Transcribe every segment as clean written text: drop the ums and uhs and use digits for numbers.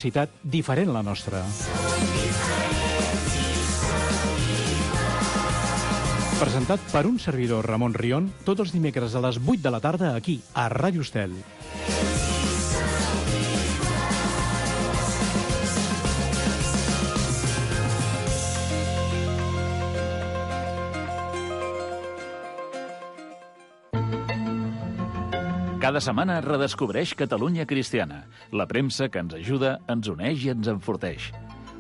ciutat diferent a la nostra. Presentat per un servidor, Ramon Rion, tots els dimecres a les 8 de la tarda aquí, a Ràdio Estel. Cada setmana redescobreix Catalunya Cristiana, la premsa que ens ajuda, ens uneix i ens enforteix.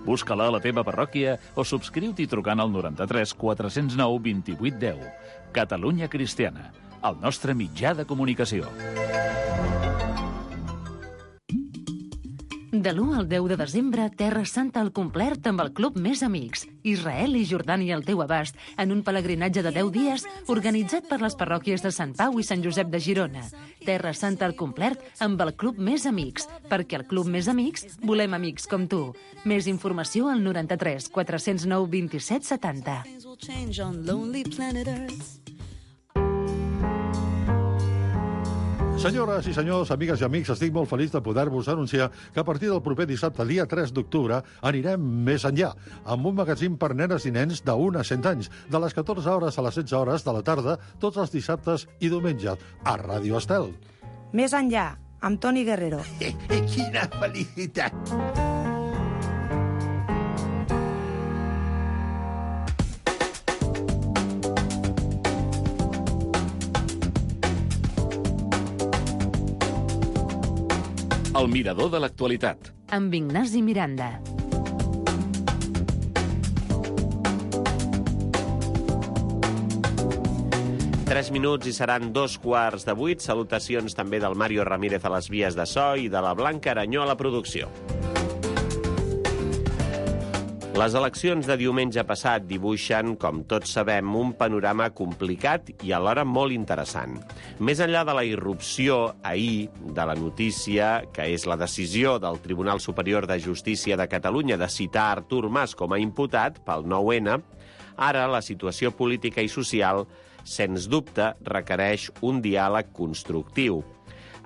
Busca-la a la teva parròquia o subscriu-t'hi trucant al 93 409 28 10. Catalunya Cristiana, el nostre mitjà de comunicació. De l'1 al 10 de desembre, Terra Santa al complet amb el Club Més Amics. Israel i Jordània al teu abast, en un pelegrinatge de 10 dies organitzat per les parròquies de Sant Pau i Sant Josep de Girona. Terra Santa al complet amb el Club Més Amics, perquè al Club Més Amics volem amics com tu. Més informació al 93 409 27 70. Senyores i senyors, amigues i amics, estic molt feliç de poder-vos anunciar que a partir del proper dissabte, dia 3 d'octubre, anirem més enllà, amb un magazín per nenes i nens d'1 a 100 anys, de les 14 hores a les 16 hores de la tarda, tots els dissabtes i diumenges, a Ràdio Estel. Més enllà, amb Toni Guerrero. Quina felicitat! El mirador de l'actualitat. Amb Ignasi Miranda. Tres minuts i seran 2:15. Salutacions també del Mario Ramírez a les vies de so i de la Blanca Aranyó a la producció. Les eleccions de diumenge passat dibuixen, com tots sabem, un panorama complicat i alhora molt interessant. Més enllà de la irrupció ahir de la notícia, que és la decisió del Tribunal Superior de Justícia de Catalunya de citar Artur Mas com a imputat pel 9-N, ara la situació política i social, sens dubte, requereix un diàleg constructiu.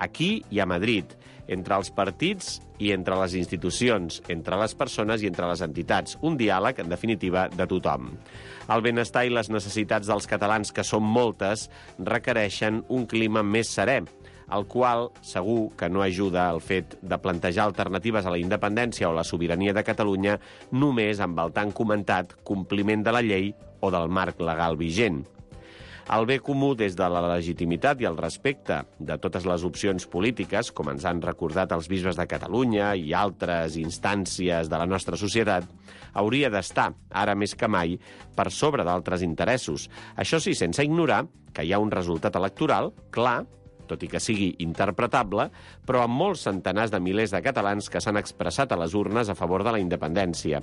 Aquí i a Madrid, entre els partits i entre les institucions, entre les persones i entre les entitats. Un diàleg, en definitiva, de tothom. El benestar i les necessitats dels catalans, que són moltes, requereixen un clima més serè, el qual segur que no ajuda el fet de plantejar alternatives a la independència o la sobirania de Catalunya només amb el tan comentat compliment de la llei o del marc legal vigent. El bé comú des de la legitimitat i el respecte de totes les opcions polítiques, com ens han recordat els bisbes de Catalunya i altres instàncies de la nostra societat, hauria d'estar, ara més que mai, per sobre d'altres interessos. Això sí, sense ignorar que hi ha un resultat electoral clar, tot i que sigui interpretable, però amb molts centenars de milers de catalans que s'han expressat a les urnes a favor de la independència.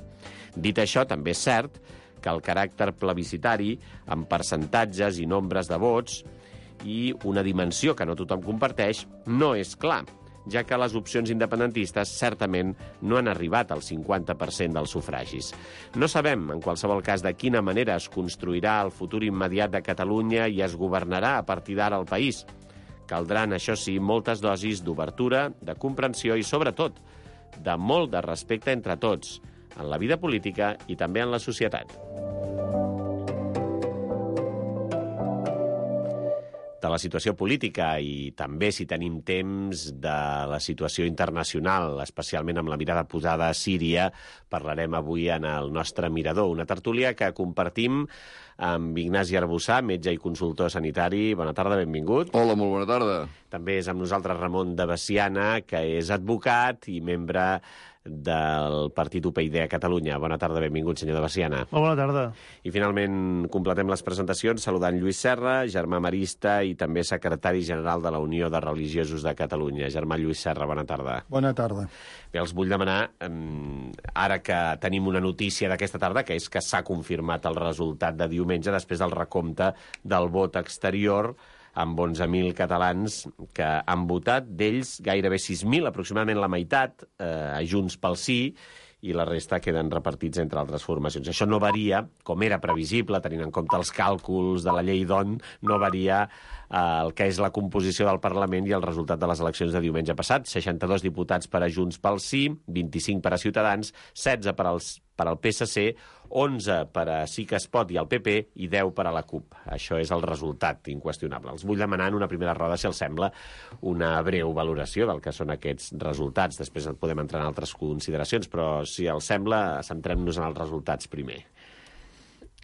Dit això, també és cert que el caràcter plebiscitari, amb percentatges i nombres de vots, i una dimensió que no tothom comparteix, no és clar, ja que les opcions independentistes certament no han arribat al 50% dels sufragis. No sabem, en qualsevol cas, de quina manera es construirà el futur immediat de Catalunya i es governarà a partir d'ara el país. Caldran, això sí, moltes dosis d'obertura, de comprensió i, sobretot, de molt de respecte entre tots, en la vida política i també en la societat. De la situació política i també, si tenim temps, de la situació internacional, especialment amb la mirada posada a Síria, parlarem avui en el nostre mirador, una tertúlia que compartim amb Ignasi Arbussà, metge i consultor sanitari. Bona tarda, benvingut. Hola, molt bona tarda. També és amb nosaltres Ramon de Veciana, que és advocat i membre del partit UPyD a Catalunya. Bona tarda, benvingut, senyor de Veciana. Bona tarda. I finalment completem les presentacions saludant Lluís Serra, germà marista i també secretari general de la Unió de Religiosos de Catalunya. Germà Lluís Serra, bona tarda. Bona tarda. Bé, els vull demanar, ara que tenim una notícia d'aquesta tarda, que és que s'ha confirmat el resultat de diumenge després del recompte del vot exterior, amb 11.000 catalans que han votat, d'ells gairebé 6.000, aproximadament la meitat, a Junts pel Sí, i la resta queden repartits entre altres formacions. Això no varia, com era previsible, tenint en compte els càlculs de la llei d'ON, no varia el que és la composició del Parlament i el resultat de les eleccions de diumenge passat. 62 diputats per a Junts pel Sí, 25 per a Ciutadans, 16 per al PSC, 11 per a Sí que es pot i el PP i 10 per a la CUP. Això és el resultat inqüestionable. Els vull demanar en una primera roda, si els sembla, una breu valoració del que són aquests resultats. Després podem entrar en altres consideracions, però si els sembla, centrem-nos en els resultats primer.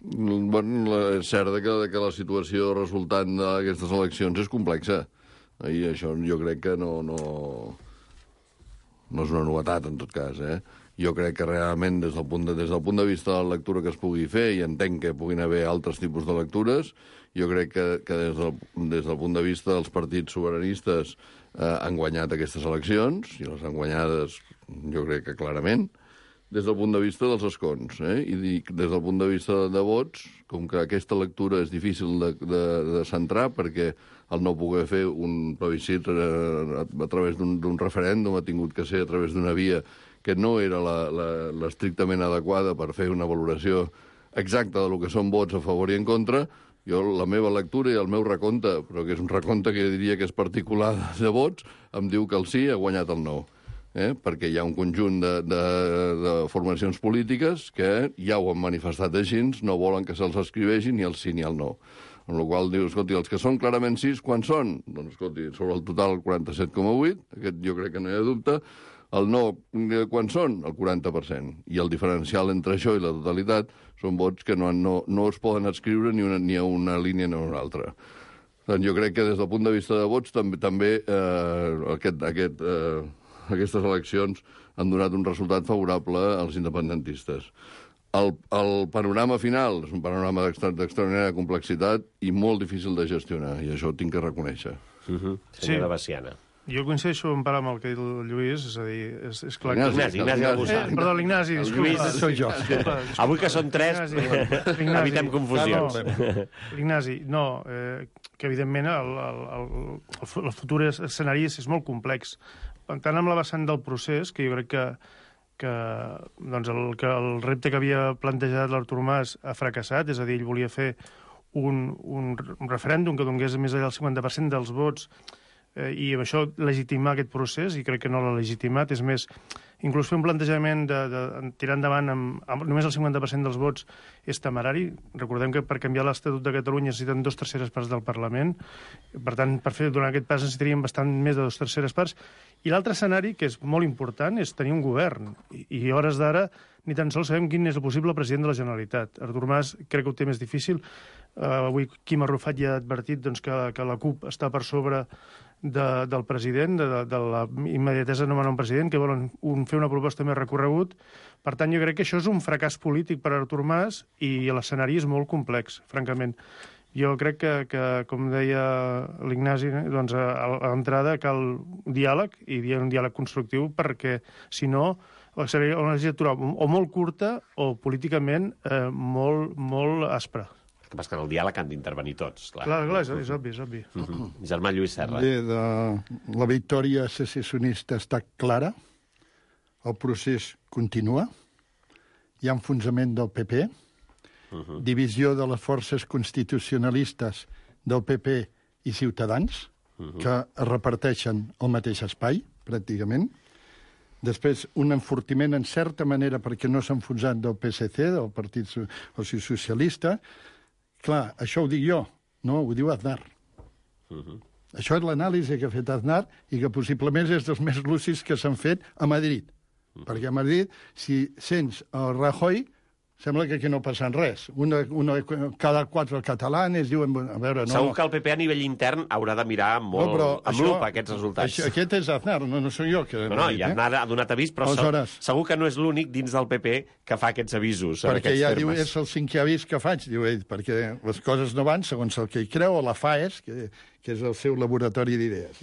Bueno, és cert que la situació resultant d'aquestes eleccions és complexa. I això jo crec que no és una novetat, en tot cas. Jo crec que realment, des del punt de vista de la lectura que es pugui fer, i entenc que puguin haver altres tipus de lectures, jo crec que des del punt de vista dels partits sobiranistes han guanyat aquestes eleccions, i les han guanyades, jo crec que clarament, des del punt de vista dels escons. I dic, des del punt de vista de vots, com que aquesta lectura és difícil de centrar, perquè el no poder fer un plebiscit a través d'un referèndum ha tingut que ser a través d'una via que no era l'estrictament adequada per fer una valoració exacta del que són vots a favor i en contra. Jo, la meva lectura i el meu recompte, però que és un recompte que jo diria que és particular de vots, em diu que el sí ha guanyat el no. Perquè hi ha un conjunt de formacions polítiques que ja ho han manifestat així, no volen que se'ls escriveixi ni el sí ni el no. En la qual diu, escolti, els que són clarament sis, quan són? Doncs, escolti, sobre el total, el 47,8%, aquest jo crec que no hi ha dubte. El no, quan són? El 40%. I el diferencial entre això i la totalitat són vots que no es poden escriure ni a una línia ni a una altra. Doncs jo crec que des del punt de vista de vots també aquestes eleccions han donat un resultat favorable als independentistes. El panorama final és un panorama d'extraordinària complexitat i molt difícil de gestionar, i això ho tinc que reconèixer. Senyora Veciana. Jo coincideixo en part amb el que ha dit el Lluís, és a dir, és clar que... Ignasi Albussat. Perdó, l'Ignasi, disculpa. Soy jo. Avui que són tres, evitem confusions. L'Ignasi, no, que evidentment el futur escenari és molt complex. Tant amb la vessant del procés, que jo crec que el repte que havia plantejat l'Artur Mas ha fracassat, és a dir, ell volia fer un referèndum que donés més enllà del 50% dels vots i amb això legitimar aquest procés, i crec que no l'ha legitimat. És més, inclús fer un plantejament de tirar endavant amb només el 50% dels vots és temerari. Recordem que per canviar l'Estatut de Catalunya necessiten 2/3 parts del Parlament. Per tant, per fer durant aquest pas necessitaríem bastant més de 2/3 parts. I l'altre escenari, que és molt important, és tenir un govern. I a hores d'ara ni tan sols sabem quin és el possible president de la Generalitat. Artur Mas crec que ho té més difícil. Avui Quim Arrufat ja ha advertit que la CUP està per sobre del president, de la immediatesa de nomenar un president, que volen fer una proposta més recorregut. Per tant, jo crec que això és un fracàs polític per a Artur Mas i l'escenari és molt complex, francament. Jo crec que com deia l'Ignasi, doncs a l'entrada cal diàleg, i un diàleg constructiu, perquè, si no, seria una legislatura o molt curta o políticament molt aspra. El que passa que en el diàleg han d'intervenir tots. Clar, és obvi. Germà Lluís Serra. Bé, la victòria secessionista està clara, el procés continua, hi ha enfonsament del PP, divisió de les forces constitucionalistes del PP i Ciutadans, que es reparteixen el mateix espai, pràcticament. Després, un enfortiment, en certa manera, perquè no s'ha enfonsat del PSC, del Partit Socialista. Clar, això ho dic jo, no, ho diu Aznar. Això és l'anàlisi que ha fet Aznar i que possiblement és dels més lúcids que s'han fet a Madrid. Perquè a Madrid, si sents el Rajoy, sembla que aquí no passa res. Cada 4 catalans diuen... A veure, no... Segur que el PP a nivell intern haurà de mirar molt amb lupa aquests resultats. Aquest és Aznar, no soc jo. I Aznar ha donat avís, però segur que no és l'únic dins del PP que fa aquests avisos. Perquè ja diu, és el 5è avís que faig, diu ell, perquè les coses no van segons el que hi creu, o la FAES, que és el seu laboratori d'idees.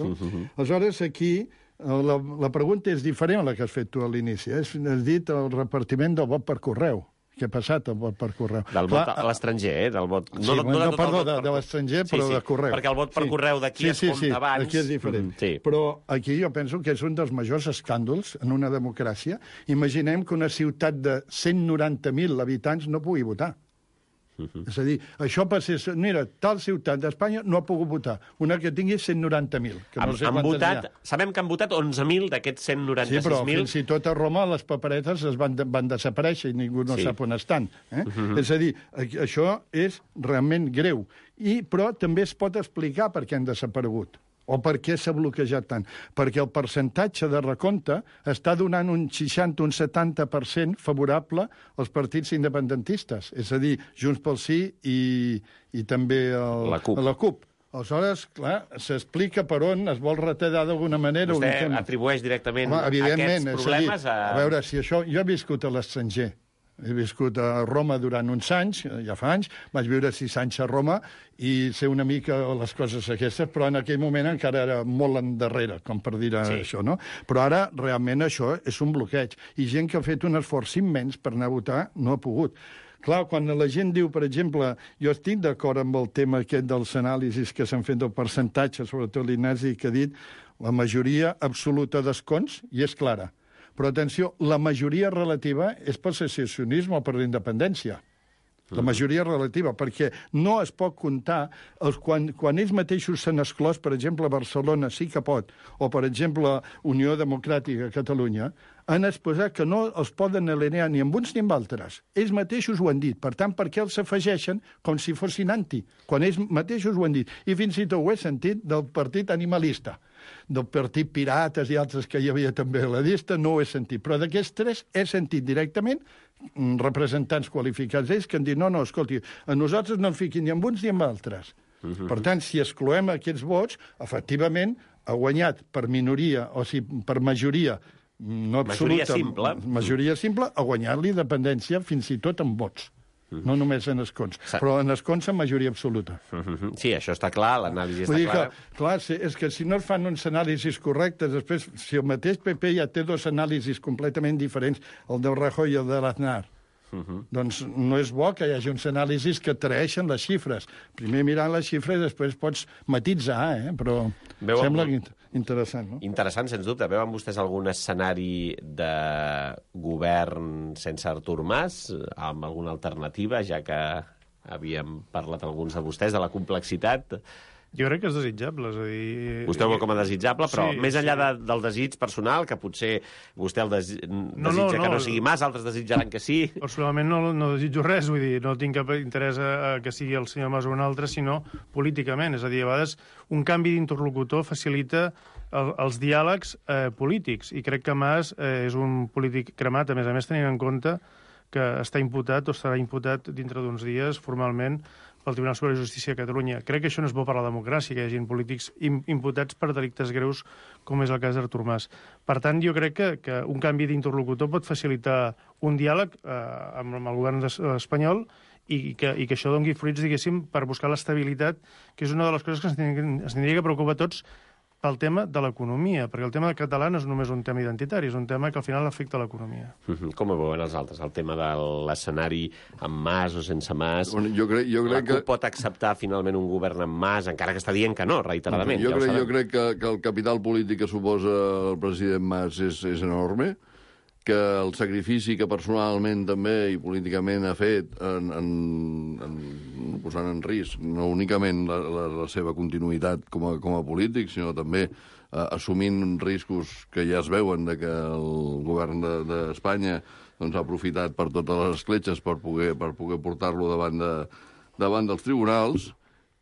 Aleshores, aquí... La pregunta és diferent a la que has fet tu a l'inici. Has dit el repartiment del vot per correu. Què ha passat, el vot per correu? Del vot a l'estranger, del vot... de l'estranger, però de correu. Perquè el vot per correu d'aquí es compta abans. Aquí és diferent. Però aquí jo penso que és un dels majors escàndols en una democràcia. Imaginem que una ciutat de 190.000 habitants no pugui votar. És a dir, això passés... Mira, tal ciutat d'Espanya no ha pogut votar. Una que tingui 190.000. Han votat, sabem que han votat 11.000 d'aquests 196.000. Sí, però fins i tot a Roma les paperetes es van desaparèixer i ningú no sap on estan. És a dir, això és realment greu. Però també es pot explicar per què han desaparegut. O per què s'ha bloquejat tant? Perquè el percentatge de recompte està donant un 60, un 70% favorable als partits independentistes. És a dir, Junts pel Sí i també la CUP. Aleshores, clar, s'explica per on es vol retallar d'alguna manera. Vostè atribueix directament aquests problemes a... A veure, si això... Jo he viscut a l'estranger. He viscut a Roma durant uns anys, ja fa anys, vaig viure 6 anys a Roma i sé una mica les coses aquestes, però en aquell moment encara era molt endarrere, com per dir això, no? Però ara realment això és un bloqueig. I gent que ha fet un esforç immens per anar a votar no ha pogut. Clar, quan la gent diu, per exemple, jo estic d'acord amb el tema aquest dels anàlisis que s'han fet del percentatge, sobretot l'Ignasi que ha dit, la majoria absoluta d'escons, i és clara. Però, atenció, la majoria relativa és pel secessionisme o per la independència. La majoria relativa, perquè no es pot comptar quan ells mateixos s'han exclòs, per exemple, Barcelona sí que pot, o, per exemple, Unió Democràtica a Catalunya, han exposat que no els poden alinear ni amb uns ni amb altres. Ells mateixos ho han dit. Per tant, per què els afegeixen com si fossin anti? Quan ells mateixos ho han dit. I fins i tot ho he sentit del partit animalista, del partit Pirates i altres que hi havia també a la llista, no ho he sentit. Però d'aquests 3 he sentit directament representants qualificats d'ells que han dit no, escolti, a nosaltres no ens fiquin ni amb uns ni amb altres. Per tant, si excloem aquests vots, efectivament ha guanyat per minoria, o sigui, per majoria no absoluta, majoria simple, ha guanyat l'independència fins i tot amb vots. No només en escons, però en escons en majoria absoluta. Sí, això està clar, l'anàlisi està clara. Clar, és que si no es fan uns anàlisis correctes, després, si el mateix PP ja té 2 anàlisis completament diferents, el del Rajoy i el de l'Aznar, doncs no és bo que hi hagi uns anàlisis que traeixen les xifres. Primer mirant les xifres i després pots matitzar, però sembla interessant, no? Interessant, sens dubte. Veuen vostès algun escenari de govern sense Artur Mas, amb alguna alternativa, ja que havíem parlat alguns de vostès de la complexitat? Jo crec que és desitjable, és a dir... Vostè ho veu com a desitjable, però més enllà del desig personal, que potser vostè desitja que no sigui Mas, altres desitjaran que sí... Personalment no desitjo res, vull dir, no tinc cap interès a que sigui el senyor Mas o un altre, sinó políticament. És a dir, a vegades un canvi d'interlocutor facilita els diàlegs polítics, i crec que Mas és un polític cremat, a més tenint en compte que està imputat o estarà imputat dintre d'uns dies formalment pel Tribunal Superior de Justícia de Catalunya. Crec que això no és bo per a la democràcia, que hi hagi polítics imputats per delictes greus, com és el cas d'Artur Mas. Per tant, jo crec que un canvi d'interlocutor pot facilitar un diàleg amb el govern espanyol i que això doni fruits, diguéssim, per buscar l'estabilitat, que és una de les coses que ens tindria que preocupar a tots pel tema de l'economia, perquè el tema català no és només un tema identitari, és un tema que al final afecta l'economia. Com ho veuen els altres? El tema de l'escenari amb Mas o sense Mas? Jo crec la CUP pot acceptar finalment un govern amb Mas, encara que està dient que no, reiteradament. Jo crec que el capital polític que suposa el president Mas és enorme, que el sacrifici que personalment també i políticament ha fet posant en risc no únicament la seva continuïtat com a polític, sinó també assumint riscos que ja es veuen de que el govern d'Espanya ha aprofitat per totes les escletxes per poder portar-lo davant dels tribunals.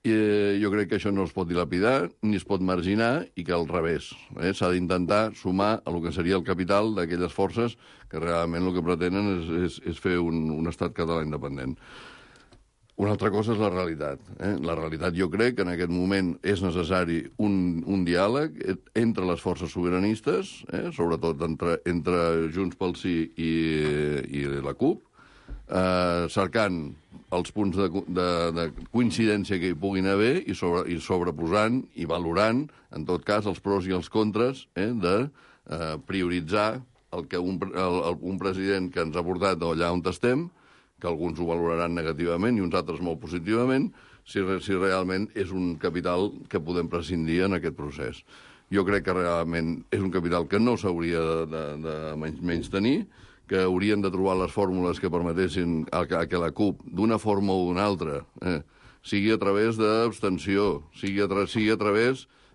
I jo crec que això no es pot dilapidar ni es pot marginar i que al revés. S'ha d'intentar sumar a lo que seria el capital d'aquelles forces que realment el que pretenen és fer un estat català independent. Una altra cosa és la realitat. La realitat jo crec que en aquest moment és necessari un diàleg entre les forces sobiranistes, sobretot entre Junts pel Sí i la CUP, cercant els punts de coincidència que hi puguin haver i sobreposant i valorant, en tot cas, els pros i els contres de prioritzar el que un president que ens ha portat allà on estem, que alguns ho valoraran negativament i uns altres molt positivament, si realment és un capital que podem prescindir en aquest procés. Jo crec que realment és un capital que no s'hauria de menystenir, que haurien de trobar les fórmules que permetessin que la CUP, d'una forma o d'una altra, sigui a través d'abstenció, sigui a través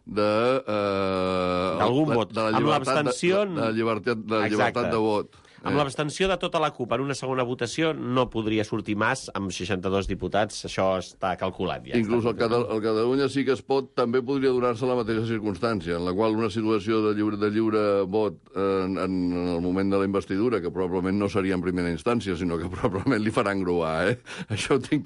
d'algun vot. De la llibertat de vot. Amb l'abstenció de tota la CUP en una segona votació no podria sortir Mas amb 62 diputats, això està calculat ja. Inclús el Catalunya sí que es pot, també podria donar-se la mateixa circumstància, en la qual una situació de lliure vot en el moment de la investidura, que probablement no seria en primera instància, sinó que probablement li faran gruar, Això estic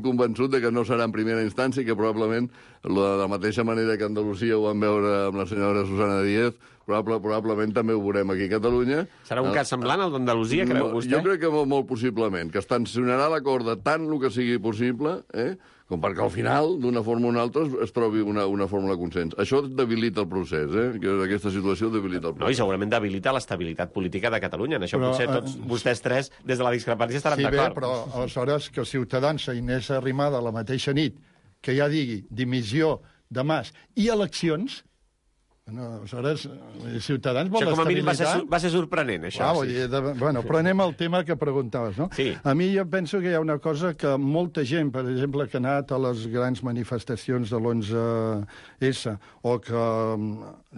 convençut de que no serà en primera instància i que probablement, de la mateixa manera que a Andalusia ho vam veure amb la senyora Susana Díez, probablement també ho veurem aquí a Catalunya. Serà un cas semblant al d'Andalusia, creu vostè? Jo crec que molt possiblement, que es tensionarà la corda tant el que sigui possible, com perquè al final, d'una forma o una altra, es trobi una fórmula de consens. Això debilita el procés, que aquesta situació debilita el procés. No, i segurament debilita l'estabilitat política de Catalunya. En això potser tots vostès tres, des de la discrepància, estaran d'acord. Sí, però aleshores que Ciutadans i Inés Arrimadas la mateixa nit que ja digui dimissió de Mas i eleccions. Aleshores, Ciutadans vol com a mínim estabilitat. va ser sorprenent, això. Però anem al tema que preguntaves, no? Sí. A mi jo penso que hi ha una cosa que molta gent, per exemple, que ha anat a les grans manifestacions de l'11S o que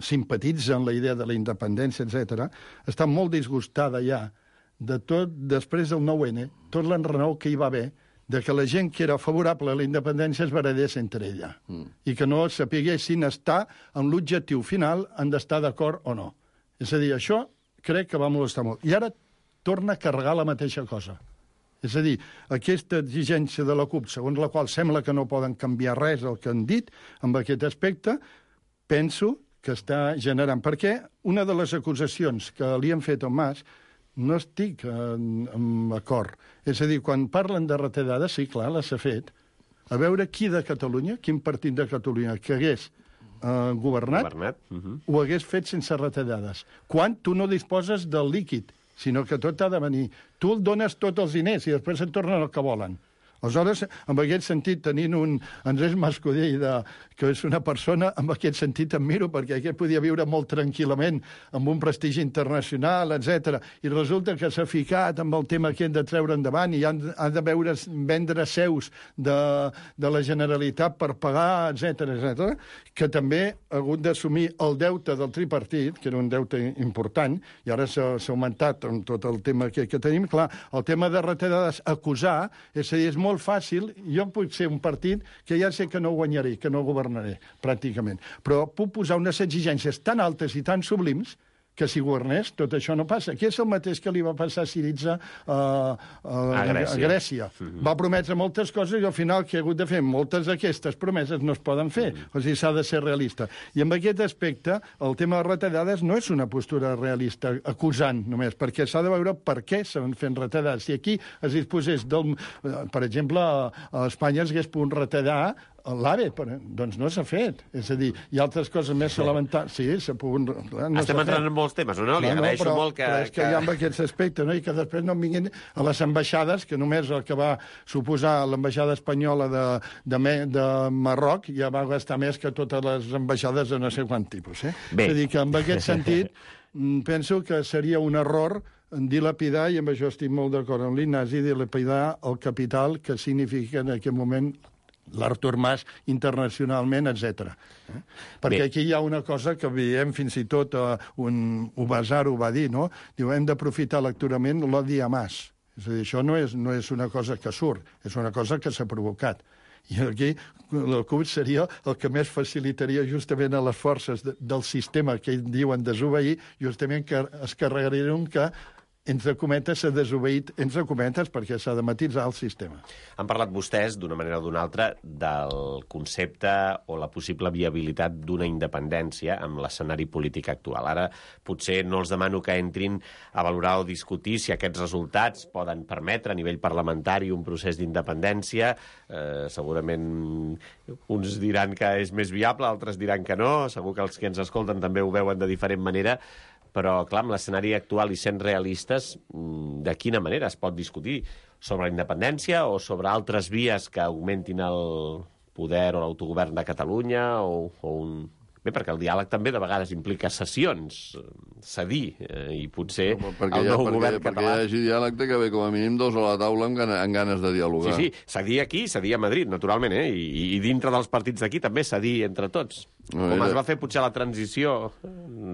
simpatitzen la idea de la independència, etc., està molt disgustada ja de tot, després del 9-N, tot l'enrenou que hi va haver, de que la gent que era favorable a la independència es barallés entre ella i que no sapiguessin estar en l'objectiu final, han d'estar d'acord o no. És a dir, això crec que va molestar molt. I ara torna a carregar la mateixa cosa. És a dir, aquesta exigència de la CUP, segons la qual sembla que no poden canviar res del que han dit amb aquest aspecte, penso que està generant. Perquè una de les acusacions que li han fet a Mas no estic en acord. És a dir, quan parlen de retallades, sí, clar, les ha fet. A veure qui de Catalunya, quin partit de Catalunya que hagués governat ho hagués fet sense retallades. Quan tu no disposes del líquid, sinó que tot ha de venir. Tu dones tots els diners i després et tornen el que volen. Aleshores, en aquest sentit, tenint un Andrés Mascolell, que és una persona, en aquest sentit admiro, perquè aquest podia viure molt tranquil·lament amb un prestigi internacional, etc. I resulta que s'ha ficat amb el tema aquest de treure endavant i ha de vendre seus de la Generalitat per pagar, etc., que també ha hagut d'assumir el deute del tripartit, que era un deute important, i ara s'ha augmentat amb tot el tema que tenim. Clar, el tema de retallades, acusar, és a dir, és molt fàcil. Jo puc ser un partit que ja sé que no guanyaré, que no governaré, pràcticament. Però puc posar unes exigències tan altes i tan sublims que si governés tot això no passa. Aquí és el mateix que li va passar a Syriza a Grècia. Va prometre moltes coses i al final que ha hagut de fer moltes d'aquestes promeses no es poden fer. O sigui, s'ha de ser realista. I en aquest aspecte, el tema de retallades no és una postura realista, acusant només, perquè s'ha de veure per què s'han fet retallades. Si aquí es disposés per exemple, a Espanya es hagués pogut retallar l'AVE, doncs no s'ha fet. És a dir, hi ha altres coses més elementals. Sí, s'ha pogut... Estem entrant en molts temes, no? Li agraeixo molt que... Però és que hi ha amb aquests aspectes, no? I que després no em vinguin a les ambaixades, que només el que va suposar l'ambaixada espanyola de Marroc ja va gastar més que totes les ambaixades de no sé quant tipus. És a dir, que en aquest sentit penso que seria un error dilapidar, i amb això estic molt d'acord amb l'Ignasi, dilapidar el capital que significa en aquest moment l'Artur Mas internacionalment, etc. Perquè aquí hi ha una cosa que veiem fins i tot un Ubasar ho va dir, no? Diu, hem d'aprofitar lecturament l'odi a Mas. És a dir, això no és una cosa que surt, és una cosa que s'ha provocat. I aquí el CUP seria el que més facilitaria justament a les forces del sistema que ells diuen desobeir, justament que es carregarien que entre cometes, s'ha desobeït, entre cometes, perquè s'ha de matisar el sistema. Han parlat vostès, d'una manera o d'una altra, del concepte o la possible viabilitat d'una independència amb l'escenari polític actual. Ara, potser no els demano que entrin a valorar o discutir si aquests resultats poden permetre a nivell parlamentari un procés d'independència. Segurament uns diran que és més viable, altres diran que no. Segur que els que ens escolten també ho veuen de diferent manera. Però, clar, amb l'escenari actual i sent realistes, de quina manera es pot discutir sobre la independència o sobre altres vies que augmentin el poder o l'autogovern de Catalunya o un... Bé, perquè el diàleg també de vegades implica cessions, cedir, i potser el nou govern català... Perquè hi hagi diàleg té que haver com a mínim dos a la taula amb ganes de dialogar. Sí, cedir aquí, cedir a Madrid, naturalment, i dintre dels partits d'aquí també cedir entre tots. Com es va fer potser la transició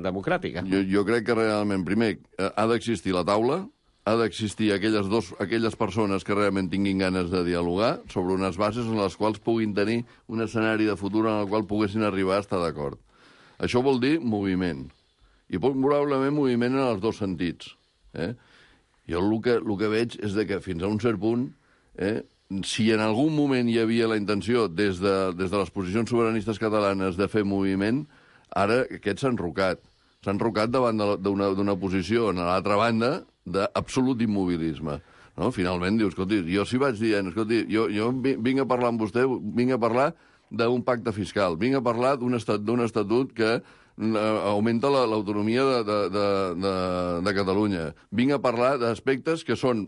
democràtica. Jo crec que realment, primer, ha d'existir la taula, ha d'existir aquelles persones que realment tinguin ganes de dialogar sobre unes bases en les quals puguin tenir un escenari de futur en el qual poguessin arribar a estar d'acord. Això vol dir moviment. I probablement moviment en els dos sentits. Jo el que veig és que fins a un cert punt, si en algun moment hi havia la intenció des de les posicions sobiranistes catalanes de fer moviment, ara aquest s'ha enrocat. S'ha enrocat davant d'una posició, a l'altra banda, d'absolut immobilisme. No? Finalment dius, escolti, jo si vaig dient, escolti, jo vinc a parlar amb vostè, vinc a parlar d'un pacte fiscal, vinc a parlar d'un estatut que augmenta l'autonomia de Catalunya, vinc a parlar d'aspectes que són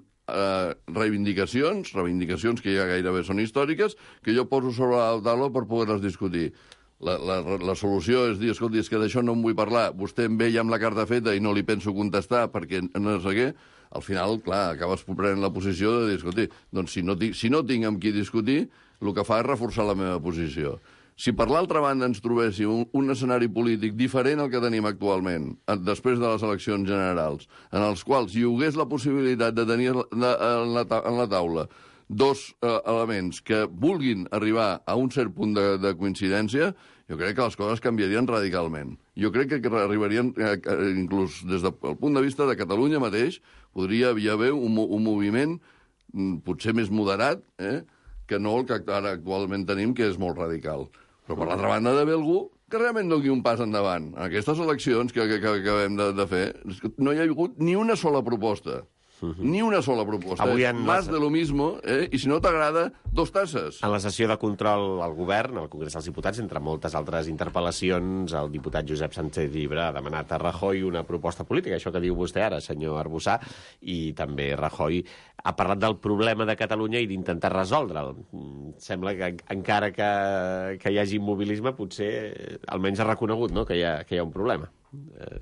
reivindicacions que ja gairebé són històriques, que jo poso sobre la taula per poder-les discutir. La solució és dir, escolti, és que d'això no en vull parlar, vostè em ve ja amb la carta feta i no li penso contestar perquè no sé què, al final, clar, acabes prenent la posició de dir, escolti, doncs si no tinc amb qui discutir, el que fa és reforçar la meva posició. Si per l'altra banda ens trobéssim un escenari polític diferent al que tenim actualment, després de les eleccions generals, en els quals hi hagués la possibilitat de tenir en la taula dos elements que vulguin arribar a un cert punt de coincidència, jo crec que les coses canviarien radicalment. Jo crec que arribarien, inclús des del punt de vista de Catalunya mateix, podria haver un moviment potser més moderat, que no el que ara actualment tenim, que és molt radical. Però, per l'altra banda, d'haver algú que realment doni un pas endavant. En aquestes eleccions que acabem de fer, no hi ha hagut ni una sola proposta. Ni una sola proposta. Más de lo mismo, i si no t'agrada, dos tasses. En la sessió de control al govern, al Congrés dels Diputats, entre moltes altres interpel·lacions, el diputat Josep Sánchez Llibre ha demanat a Rajoy una proposta política, això que diu vostè ara, senyor Arbussà, i també Rajoy ha parlat del problema de Catalunya i d'intentar resoldre'l. Sembla que encara que hi hagi immobilisme, potser almenys ha reconegut, no?, que hi ha un problema.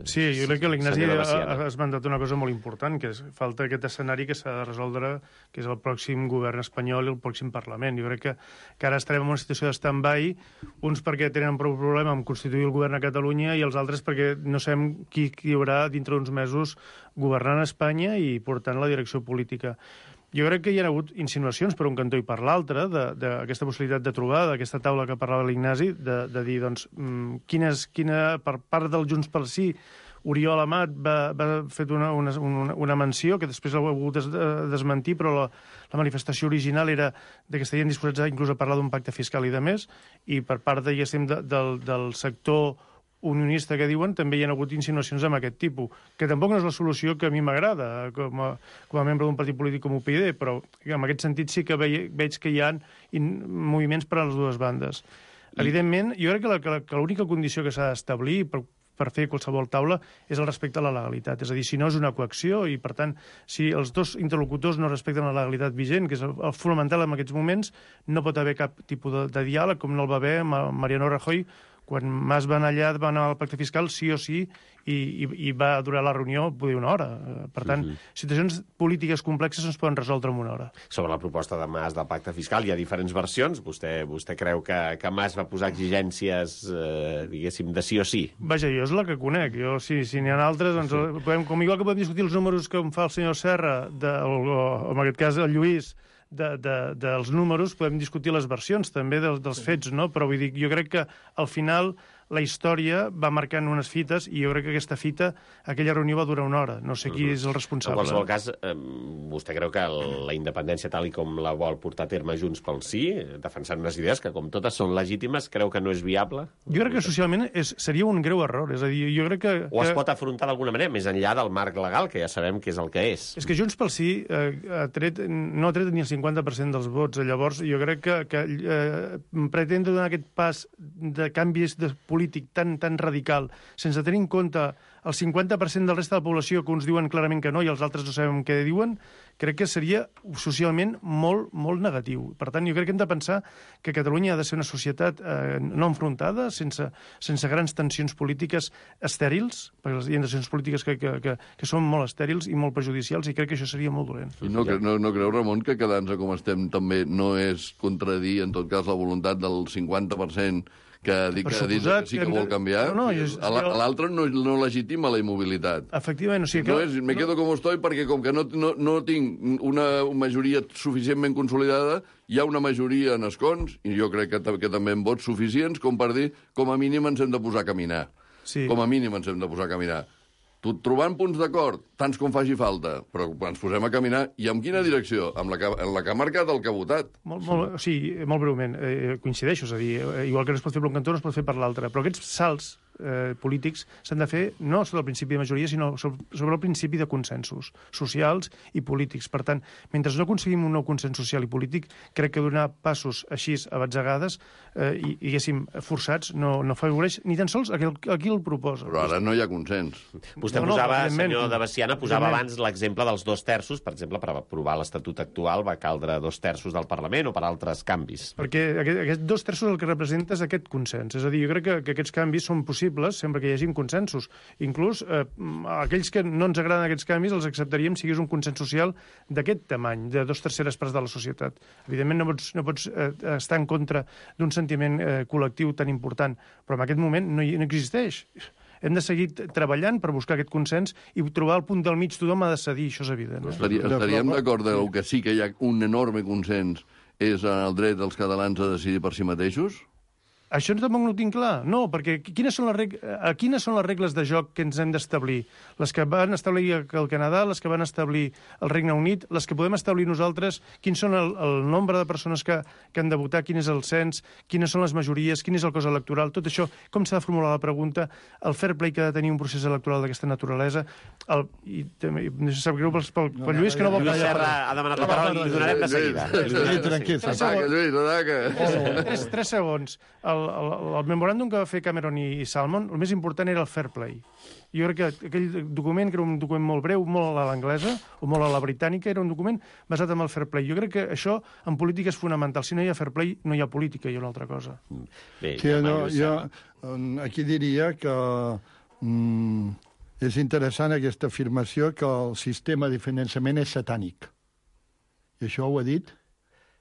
Sí, jo crec que l'Ignasi ha esmentat una cosa molt important, que és falta aquest escenari que s'ha de resoldre, que és el pròxim govern espanyol i el pròxim Parlament. Jo crec que ara estarem en una situació de stand-by, uns perquè tenen prou problema amb constituir el govern a Catalunya i els altres perquè no sabem qui hi haurà dintre d'uns mesos governant Espanya i portant la direcció política. Jo crec que hi ha hagut insinuacions per un cantó i per l'altre d'aquesta possibilitat de trobar, d'aquesta taula que parlava l'Ignasi, de dir, doncs, quina per part del Junts pel Sí, Oriol Amat va fet una menció, que després l'ha hagut desmentir, però la manifestació original era que estarien disposats inclús a parlar d'un pacte fiscal i de més, i per part, diguéssim, del sector unionista que diuen, també hi ha hagut insinuacions amb aquest tipus, que tampoc no és la solució que a mi m'agrada com a membre d'un partit polític com UPyD, però en aquest sentit sí que veig que hi ha moviments per a les dues bandes. Evidentment, jo crec que l'única condició que s'ha d'establir per fer qualsevol taula és el respecte a la legalitat. És a dir, si no és una coacció i, per tant, si els dos interlocutors no respecten la legalitat vigent, que és el fonamental en aquests moments, no pot haver cap tipus de diàleg, com no el va haver amb Mariano Rajoy, quan Mas va anar al pacte fiscal, sí o sí, i va durar la reunió poder una hora. Per tant, situacions polítiques complexes no es poden resoldre en una hora. Sobre la proposta de Mas del pacte fiscal hi ha diferents versions. Vostè creu que Mas va posar exigències, diguéssim, de sí o sí? Vaja, jo és la que conec. Si n'hi ha altres, doncs, com igual que podem discutir els números que em fa el senyor Serra, o en aquest cas el Lluís, dels números, podem discutir les versions també dels fets, no? Però vull dir, jo crec que al final la història va marcant unes fites i jo crec que aquesta fita, aquella reunió va durar una hora. No sé qui és el responsable. En qualsevol cas, vostè creu que la independència tal i com la vol portar a terme Junts pel Sí, defensant unes idees que com totes són legítimes, creu que no és viable? Jo crec que socialment seria un greu error. És a dir, jo crec que... O es pot afrontar d'alguna manera, més enllà del marc legal, que ja sabem que és el que és. És que Junts pel Sí no ha tret ni el 50% dels vots. Llavors, jo crec que pretendre donar aquest pas de canvis de política polític tan radical, sense tenir en compte el 50% del reste de la població que uns diuen clarament que no i els altres no sabem què diuen, crec que seria socialment molt, molt negatiu. Per tant, jo crec que hem de pensar que Catalunya ha de ser una societat no enfrontada, sense grans tensions polítiques estèrils, perquè hi ha tensions polítiques que són molt estèrils i molt perjudicials, i crec que això seria molt dolent. I no creu, Ramon, que quedant-se com estem també no és contradir, en tot cas, la voluntat del 50% que ha dit que sí que vol canviar? L'altre no legitima la immobilitat. Efectivament, o sigui que... No és, me quedo com estoy perquè com que no tinc una majoria suficientment consolidada, hi ha una majoria en escons, i jo crec que també en vots suficients, com per dir, com a mínim ens hem de posar a caminar. Sí. Com a mínim ens hem de posar a caminar. Trobant punts d'acord, tants com faci falta, però ens posem a caminar, i en quina direcció? En la que ha marcat el que ha votat. Molt breument, coincideixo, és a dir, igual que no es pot fer per un cantó, no es pot fer per l'altre, però aquests salts polítics s'han de fer no sobre el principi de majoria, sinó sobre el principi de consensos socials i polítics. Per tant, mentre no aconseguim un nou consens social i polític, crec que donar passos així a batzegades i, diguéssim, forçats, no afavoreix ni tan sols a qui el proposa. Però ara no hi ha consens. Vostè posava, senyor de Veciana, abans l'exemple dels 2/3, per exemple, per aprovar l'Estatut actual va caldre 2/3 del Parlament o per altres canvis. Perquè aquest 2/3 el que representa és aquest consens. És a dir, jo crec que aquests canvis són possibles sempre que hi hagi consensos. Inclús aquells que no ens agraden aquests canvis els acceptaríem si hi hagués un consens social d'aquest tamany, de 2/3 parts de la societat. Evidentment no pots estar en contra d'un sentiment col·lectiu tan important, però en aquest moment no existeix. Hem de seguir treballant per buscar aquest consens i trobar el punt del mig. Tothom ha de cedir, això és evident. Estaríem d'acord que sí que hi ha un enorme consens és el dret dels catalans a decidir per si mateixos? Això tampoc no ho tinc clar. No, perquè quines són les regles de joc que ens hem d'establir? Les que van establir el Canadà, les que van establir el Regne Unit, les que podem establir nosaltres, quins són el nombre de persones que han de votar, quin és el cens, quines són les majories, quin és el cos electoral, tot això, com s'ha de formular la pregunta, el fair play que ha de tenir un procés electoral d'aquesta naturalesa, i no sap greu pel Lluís, que no vol... Lluís Serra ha demanat la paraula i li donarem de seguida. Tranquil. 3 segons. El memoràndum que va fer Cameron i Salmon, el més important era el fair play. Jo crec que aquell document, que era un document molt breu, molt a l'anglesa, o molt a la britànica, era un document basat en el fair play. Jo crec que això en política és fonamental. Si no hi ha fair play, no hi ha política, hi ha una altra cosa. Bé, jo aquí diria que és interessant aquesta afirmació que el sistema de finançament és satànic. I això ho ha dit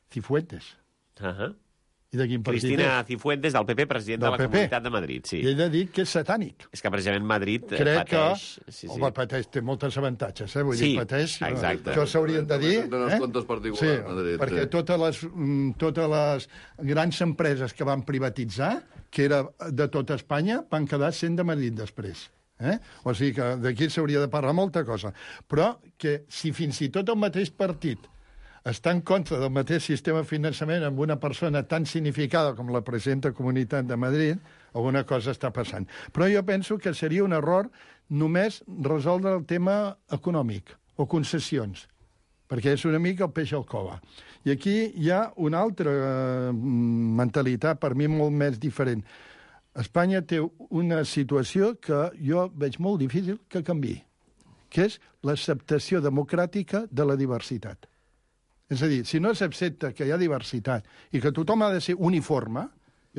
Cifuentes. I de quin partit Cristina Cifuentes, del PP, president de la Comunitat de Madrid. Sí. I ell ha dit que és satànic. És que precisament Madrid pateix... Home, pateix, té molts avantatges, vull dir, pateix... Exacte. Això s'haurien de dir... Tenen els comptes particulars, Madrid. Perquè totes les grans empreses que van privatitzar, que era de tota Espanya, van quedar sent de Madrid després. O sigui que d'aquí s'hauria de parlar molta cosa. Però que si fins i tot el mateix partit està en contra del mateix sistema de finançament amb una persona tan significada com la presidenta de Comunitat de Madrid, alguna cosa està passant. Però jo penso que seria un error només resoldre el tema econòmic o concessions, perquè és una mica el peix al cova. I aquí hi ha una altra mentalitat, per mi molt més diferent. Espanya té una situació que jo veig molt difícil que canviï, que és l'acceptació democràtica de la diversitat. És a dir, si no s'accepta que hi ha diversitat i que tothom ha de ser uniforme,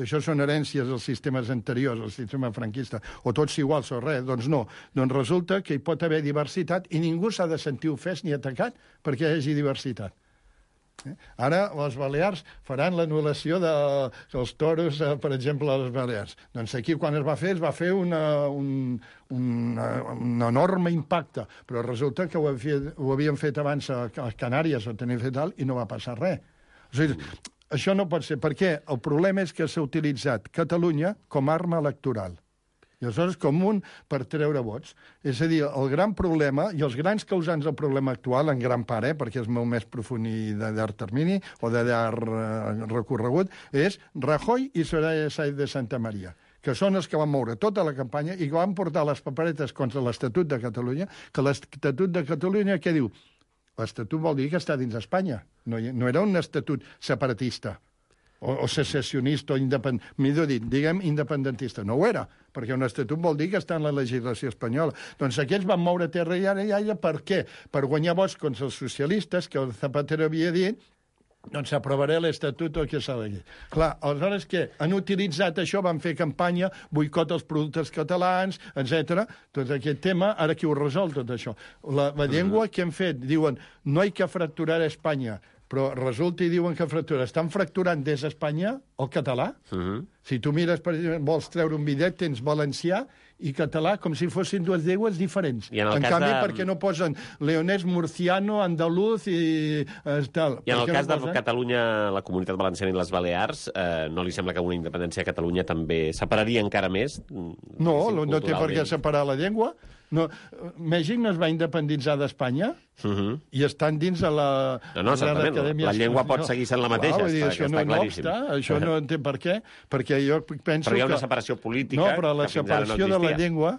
i això són herències dels sistemes anteriors, el sistema franquista, o tots iguals o res, doncs no. Doncs resulta que hi pot haver diversitat i ningú s'ha de sentir ofès ni atacat perquè hi hagi diversitat. Ara les Balears faran l'anul·lació dels toros, per exemple, a les Balears. Doncs aquí, quan es va fer un enorme impacte, però resulta que ho havien fet abans a Canàries o tenien fet alt i no va passar res. O sigui, això no pot ser, perquè el problema és que s'ha utilitzat Catalunya com a arma electoral. I aleshores com un per treure vots. És a dir, el gran problema, i els grans causants del problema actual, en gran part, perquè és molt més profund i de llarg termini, o de llarg recorregut, és Rajoy i Soraya Sáenz de Santamaría, que són els que van moure tota la campanya i que van portar les paperetes contra l'Estatut de Catalunya, que l'Estatut de Catalunya, què diu? L'Estatut vol dir que està dins d'Espanya. No era un estatut separatista. o secessionista, o millor dit, diguem independentista. No ho era, perquè un estatut vol dir que està en la legislació espanyola. Doncs aquells van moure terra i ara, per què? Per guanyar vots contra els socialistes, que el Zapatero havia dit, doncs aprovaré l'estatut o que s'ha de dir. Clar, aleshores què? Han utilitzat això, van fer campanya, boicot als productes catalans, etc. Tot aquest tema, ara qui ho resol tot això? La llengua que hem fet, diuen, no hay que fracturar Espanya, però resulta i diuen que estan fracturant des d'Espanya el català. Si tu mires, per exemple, vols treure un bitllet, tens valencià i català com si fossin dues llengües diferents. En canvi, perquè no posen leonès, murciano, andaluz i tal. I en el cas de Catalunya, la Comunitat Valenciana i les Balears, no li sembla que una independència a Catalunya també separaria encara més? No, no té per què separar la llengua. No, Mèxic no es va independitzar d'Espanya i estan dins de la... No, certament, la llengua pot seguir sent la mateixa, està claríssim. Això no té per què, perquè jo penso que... Però hi ha una separació política... No, però la separació de la llengua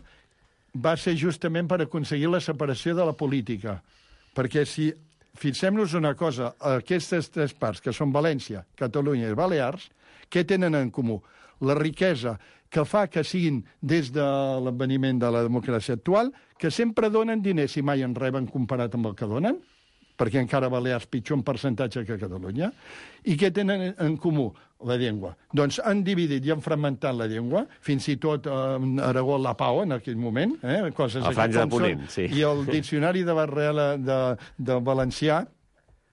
va ser justament per aconseguir la separació de la política. Perquè si... Fixem-nos una cosa, aquestes tres parts, que són València, Catalunya i Balears, què tenen en comú? La riquesa que fa que siguin, des de l'adveniment de la democràcia actual, que sempre donen diners i mai en reben comparat amb el que donen, perquè encara Balears pitjor en percentatge que Catalunya, i què tenen en comú? La llengua. Doncs han dividit i han fragmentat la llengua, fins i tot Aragó la Pau en aquell moment, coses el Franja de Ponent, sí. I el diccionari de Barrela de valencià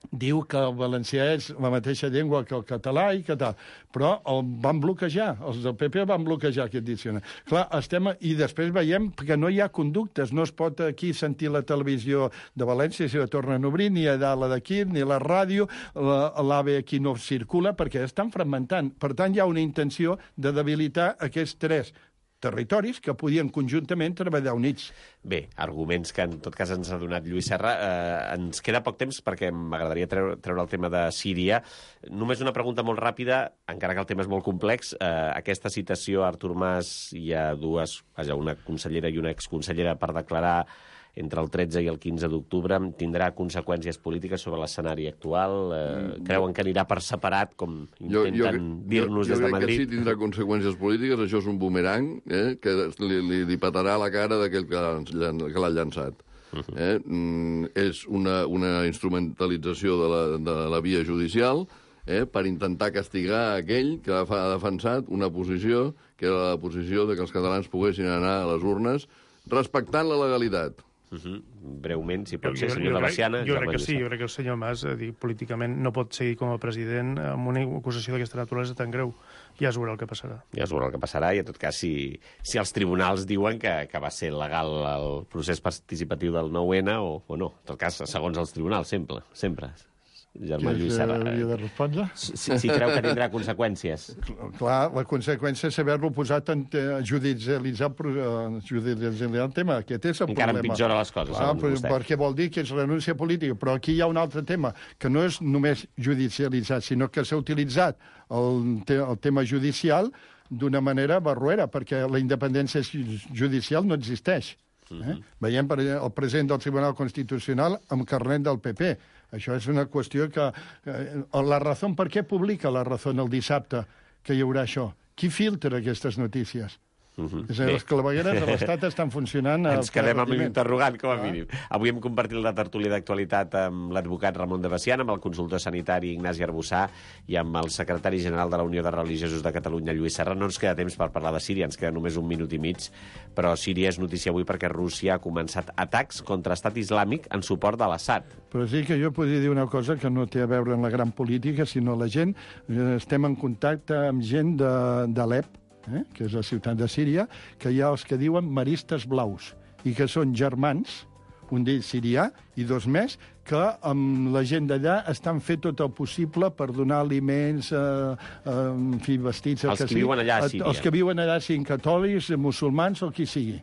diu que el valencià és la mateixa llengua que el català i que tal. Però el van bloquejar, els del PP van bloquejar aquest diccionari. Clar, i després veiem que no hi ha conductes, no es pot aquí sentir la televisió de València si la tornen a obrir, ni a la d'aquí, ni la ràdio, l'AVE aquí no circula, perquè estan fragmentant. Per tant, hi ha una intenció de debilitar aquests tres territoris que podien conjuntament treballar units. Bé, arguments que en tot cas ens ha donat Lluís Serra. Ens queda poc temps perquè m'agradaria treure el tema de Síria. Només una pregunta molt ràpida, encara que el tema és molt complex. Aquesta citació a Artur Mas i a una consellera i una exconsellera per declarar entre el 13 i el 15 d'octubre tindrà conseqüències polítiques sobre l'escenari actual? Creuen que anirà per separat, com intenten dir-nos des de Madrid? Jo crec que sí tindrà conseqüències polítiques. Això és un bumerang que li patarà la cara d'aquell que l'ha llançat. És una instrumentalització de la via judicial per intentar castigar aquell que ha defensat una posició que era la posició de que els catalans poguessin anar a les urnes respectant la legalitat. Breument, si pot ser, senyor de Baciana. Jo crec que sí, jo crec que el senyor Mas, políticament, no pot seguir com a president amb una acusació d'aquesta naturalesa tan greu. Ja es veurà el que passarà. Ja es veurà el que passarà, i en tot cas, si els tribunals diuen que va ser legal el procés participatiu del 9-N o no. En tot cas, segons els tribunals, sempre. Germà Lluís Serra. Hauria de respondre? Si creu que tindrà conseqüències. Clar, la conseqüència és haver-lo posat en judicialitzar el tema. Aquest és el problema. Encara empitjora les coses, segons vostè. Perquè vol dir que és renúncia política. Però aquí hi ha un altre tema, que no és només judicialitzat, sinó que s'ha utilitzat el tema judicial d'una manera barroera, perquè la independència judicial no existeix. Veiem el president del Tribunal Constitucional amb carnet del PP. Això és una qüestió que... La Razón, per què publica La Razón el dissabte que hi haurà això? Qui filtra aquestes notícies? És a dir, les clavegueres de l'Estat estan funcionant... Ens quedem amb l'interrogant, com a mínim. Avui hem compartit la tertúlia d'actualitat amb l'advocat Ramon de Baciana, amb el consultor sanitari Ignasi Arbussà i amb el secretari general de la Unió de Religiosos de Catalunya, Lluís Serra. No ens queda temps per parlar de Síria, ens queda només 1 minut i mig, però Síria és notícia avui perquè Rússia ha començat atacs contra Estat Islàmic en suport de l'Assad. Però sí que jo podria dir una cosa que no té a veure amb la gran política, sinó la gent. Estem en contacte amb gent d'Alep, que és la ciutat de Síria, que hi ha els que diuen maristes blaus, i que són germans, un d'ells sirià, i 2 més, que amb la gent d'allà estan fent tot el possible per donar aliments, vestits... Els que viuen allà a Síria. Els que viuen allà, siguin catòlics, musulmans o qui sigui.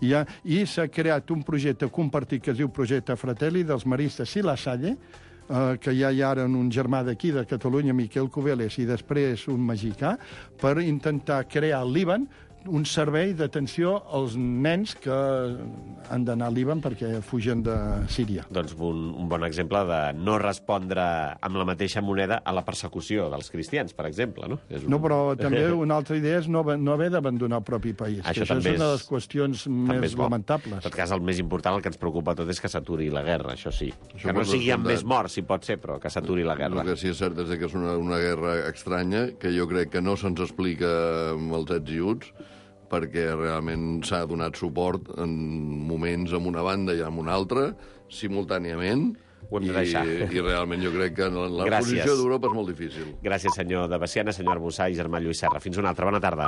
I s'ha creat un projecte compartit que es diu Projecte Fratelli dels maristes i la Salle, que hi ha ara un germà d'aquí, de Catalunya, Miquel Cubeles, i després un mexicà, per intentar crear al Líban un servei d'atenció als nens que han d'anar a Líban perquè fugen de Síria. Doncs un bon exemple de no respondre amb la mateixa moneda a la persecució dels cristians, per exemple, no? No, però també una altra idea és no haver d'abandonar el propi país. Això és una de les qüestions més lamentables. En tot cas, el més important, el que ens preocupa tot és que s'aturi la guerra, això sí. Això Que no sigui amb més morts, si pot ser, però que s'aturi la guerra. El que sí és cert és que és una guerra estranya, que jo crec que no se'ns explica amb els ets i uts, perquè realment s'ha donat suport en moments amb una banda i amb una altra, simultàniament, Ho hem de deixar. I realment jo crec que la Gràcies. posició d'Europa és molt difícil. Gràcies, senyor de Baciana, senyor Arbussà i germà Lluís Serra. Fins una altra. Bona tarda.